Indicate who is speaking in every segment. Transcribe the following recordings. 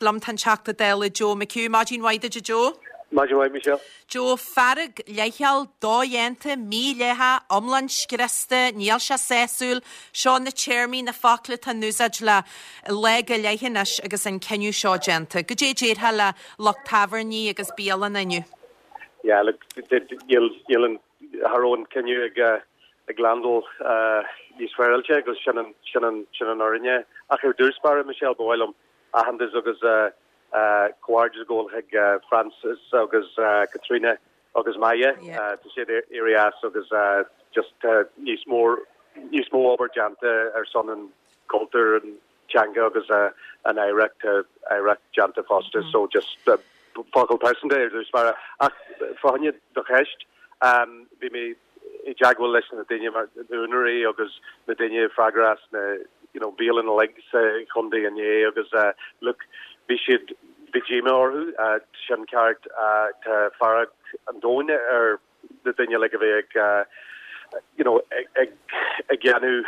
Speaker 1: Liom tá an Teachta Dála Joe McHugh. Maidin mhaith duit a Joe.
Speaker 2: Maidin mhaith Michelle.
Speaker 1: Joe, fearg, leithcheal, dodhéanta, mídhleathach, iomlán scriosta, níl sé sásúil. Seo na téarmaí, na focla atá in úsáid le lá go leith anois agus an cinneadh seo déanta. Goidé a déarfá le lucht tábhairní agus bialanna inniu?
Speaker 2: Yeah, look, níl, níl an, cha raibh an cinneadh ag, ag landáil níos féaráilte agus sin an, sin an, sin an fhírinne. Ach ar dtús báire, Michelle, ba mhaith liom aitheantas agus comhghairdeas a ghabháil chuig Francis agus Caitríona agus Maya. Tá siad éirithe as agus just tá níos mó níos mó obair déanta ar son an cultúr, an teanga agus an oidhreacht, tá oidhreacht déanta fosta so just focal pearsanta ar dtús báire. Ach fá choinne do cheist, bhí mé i dteagmháil leis na daoine mar na úinéirí agus na daoine freagrach as na you know bialanna uilig sa chontae inné agus look bhí siad bhí díomá orthu sin ceart tá fearg an domhain ar na daoine uilig a bhí ag you know ag ag ag déanamh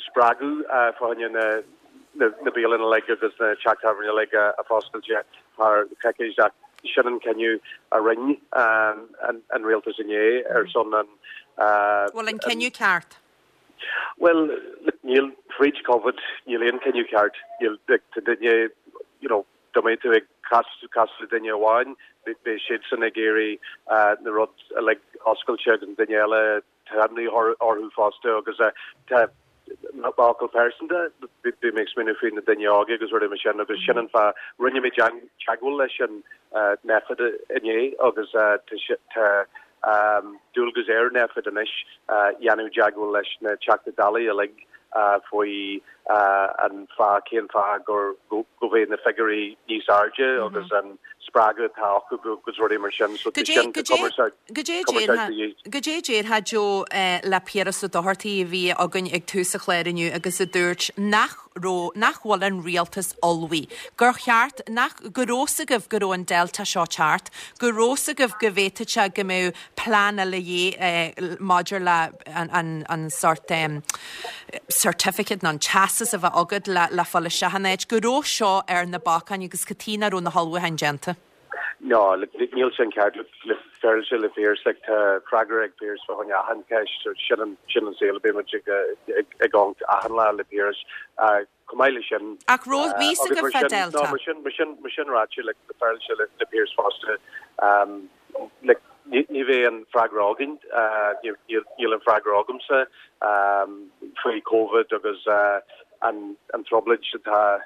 Speaker 2: spreagadh fá choinne na bialanna uilig agus na teach tábhairne uilig a foscailte thar coicís ach sin an cinneadh a rinne an rialtas inné ar son an.
Speaker 1: Bhfuil an cinneadh ceart?
Speaker 2: Bhuel, níl, fríd Covid, níl aon cinneadh ceart. Níl, tá duine, you know, dá mbeadh tú ag casadh le duine amháin, beidh siadsan ag iarraidh na rud uilig oscailte agus an duine eile Tá imní orthu fosta agus tá m'fhocal pearsanta, bhí mé ag smaoineamh faoi na daoine óga agus rudaí mar sin agus sin an fáth rinne mé teagmháil leis an Nphet inné agus tá dualgas ar Nphet anois dhéanamh teagmháil leis na Teachtaí Dála uilig faoi an fáth, cén fáth gur, go bhfuil na figiúirí níos airde agus an spreagadh atá acu agus rudaí mar sin. So tá sin, tá cumarsáid,
Speaker 1: cumarsáid de dhíth. Goidé a déarfá Joe le Piaras Ó Dochartaigh a bhí againn ag tús an chláir inniu agus a dúirt nach raibh, nach bhfuil an rialtas ullmhaithe, gur cheart, nach, go raibh 's agaibh go raibh an Delta seo teacht, go raibh 's agaibh go bhféadfadh sé go mbeadh plean eile de dhíth maidir le an sórt certificate nó an teastas a bheith agat le fáil isteach in áit, go raibh seo ar na bacáin agus cad chuige nach raibh na hullmhúcháin déanta.
Speaker 2: No, níl sin ceart. Le féaráilte le Piaras, like, tá freagra ag Piaras fá choinne achan cheist, sin an, sin an saol a bíonn muid ag, ag amharc achan lá le Piaras. Chomh maith leis sin,
Speaker 1: Ach raibh a fhios agaibh fá Delta.
Speaker 2: No, mar sin, mar sin, mar sin ráite, like, le féaráilte le, le Piaras fosta, um, like, ní, ní bheidh an freagra againn, uh, níl, níl, níl an freagra agamsa, um, faoi Covid agus, uh, an, an trioblóid atá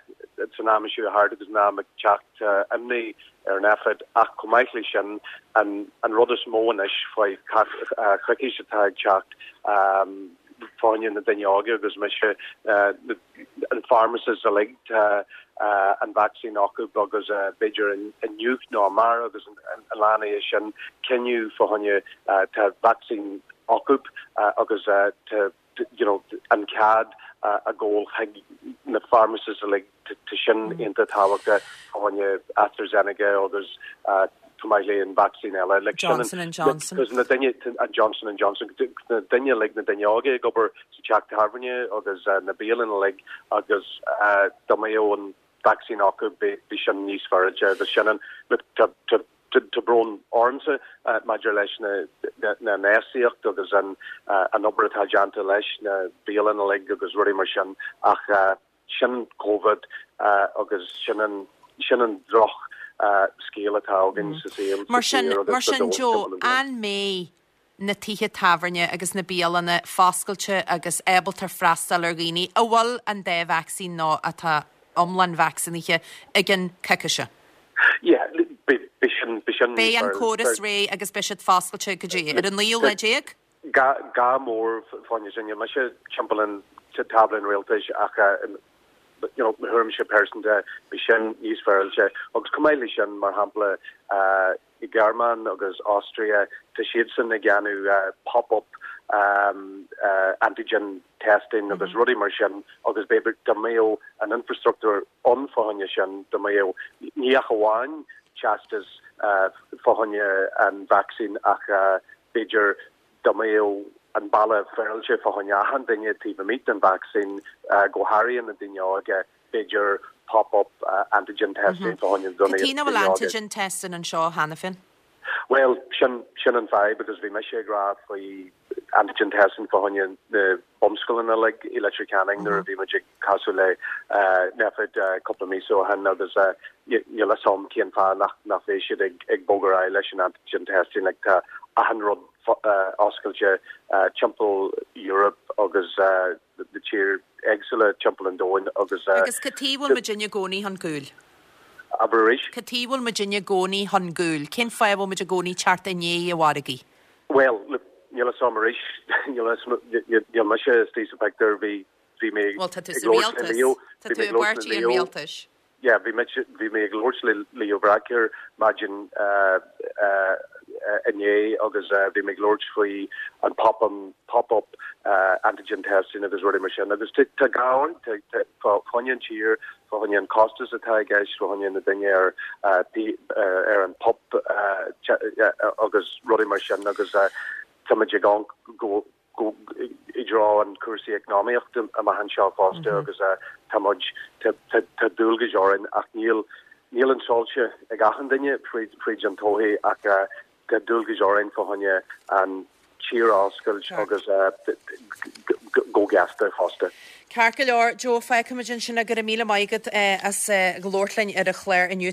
Speaker 2: san am seo thart agus an am ag teacht, tá imní ar Nphet ach chomh maith leis sin, an, an rud is mó anois faoi choicís atá ag teacht, um, fá choinne na daoine óga agus mise, an pharmacists uilig, tá an vacsaín acu agus b'fhéidir inniu nó amárach agus an lá ina dhiaidh sin cinneadh fá choinne tá vacsaín acu agus tá you know an cead a ghabháil chuig na pharmacists uilig tá sin iontach tábhachtach fá choinne AstraZeneca agus chomh maith le an vacsaín eile. Like,
Speaker 1: Johnson and Johnson.
Speaker 2: Because na daoine, an Johnson and Johnson, na daoine uilig, na daoine óga ag obair sa teach tábhairne agus na bialanna uilig agus dá mbeadh an vacsaín acu bhí sin níos fearráilte agus sin an, look, tá, tá, tá brón ormsa maidir leis na, na, na éascaíocht agus an, an obair atá déanta leis na bialanna uilig agus rudaí mar sin ach Sin Covid agus sin an, sin an droch scéal atá againn sa saol, sa
Speaker 1: Mar sin, tír mar agus sa sin domhan Joe, timpeall an domhain. an mbeidh na tithe tábhairne agus na bialanna foscailte agus ábalta freastal ar dhaoine a bhfuil an dá vacsaín nó atá iomlán vacsaínithe i gceann coicíse?
Speaker 2: Yeah, beidh, beidh sin, beidh sin
Speaker 1: Beidh an córas réidh agus beidh siad foscailte go dtí ar an naoú lá déag?
Speaker 2: Gá mór fá choinne sin. Níl mise timpeall an tábla an rialtais ach you know mo thuairimse pearsanta bhí sin níos féaráilte. Agus chomh maith leis sin, mar shampla i Gearmáin agus Austria tá siadsan ag déanamh pop-up antigen testing agus rudaí mar sin agus b'fhéidir dá mbeadh an infrastruchtúr ann fá choinne sin, dá mbeadh ní ach amháin teastas fá choinne an vacsaín ach B'fhéidir dá mbeadh an bealach féaráilte fá choinne achan duine taobh amuigh den vacsaín, go háirithe na daoine óga, b'fhéidir. pop-up antigen testing fá choinne
Speaker 1: daoine. Cad chuige nach bhfuil antigen testing anseo cheana féin?
Speaker 2: Bhuel, sin, sin an fadhb agus bhí mise ag rá faoi antigen testing fá choinne na bunscoileanna uilig i Leitir Ceanainn nuair a bhí muid ag casadh le Nphet cúpla míosa ó shin agus níl a fhios agam cén fáth nach, nach mbeidh siad ag, ag bogadh ar aghaidh leis an antigen testing. Like tá achan rud oscailte timpeall Europe agus na tír éagsúla timpeall an domhain agus.
Speaker 1: Agus cad chuige a bhfuil muidinne i gcónaí chun cúil?
Speaker 2: Abair arís?
Speaker 1: Cad chuige a bhfuil muidinne i gcónaí chun cúil? Cén fáth a bhfuil muid i gcónaí teacht i ndiaidh an mhargaidh?
Speaker 2: Bhuel, look, níl a fhios agam arís, níl a fhios, níl mise istigh sa phictiúr, bhí, bhí mé
Speaker 1: Bhuel, tá tú sa rialtas, tá tú i bpáirtí an rialtais.
Speaker 2: Yeah, bhí mé, bhí mé ag labhairt le Leo Varadkar maidin inné agus bhí mé ag labhairt faoi an pop an pop-up antigen testing agus rudaí mar sin agus tá gá ann, tá fá choinne an tír, fá choinne an costas atá i gceist, fá choinne na daoine ar ar an PUP agus rudaí mar sin agus táimid ag amharc go go i dtreo an cúrsaí eacnamaíochta amach anseo fosta agus tá muid, tá dualgais orainn ach níl, níl an soilse ag achan duine fríd, fríd an todhchaí ach tá dualgais orainn fá choinne an tír a oscailt agus go gasta fosta.
Speaker 1: Ceart go leor, Joe, fágfaimid ansin é, go raibh míle maith agat as labhairt linn ar an chlár inniu.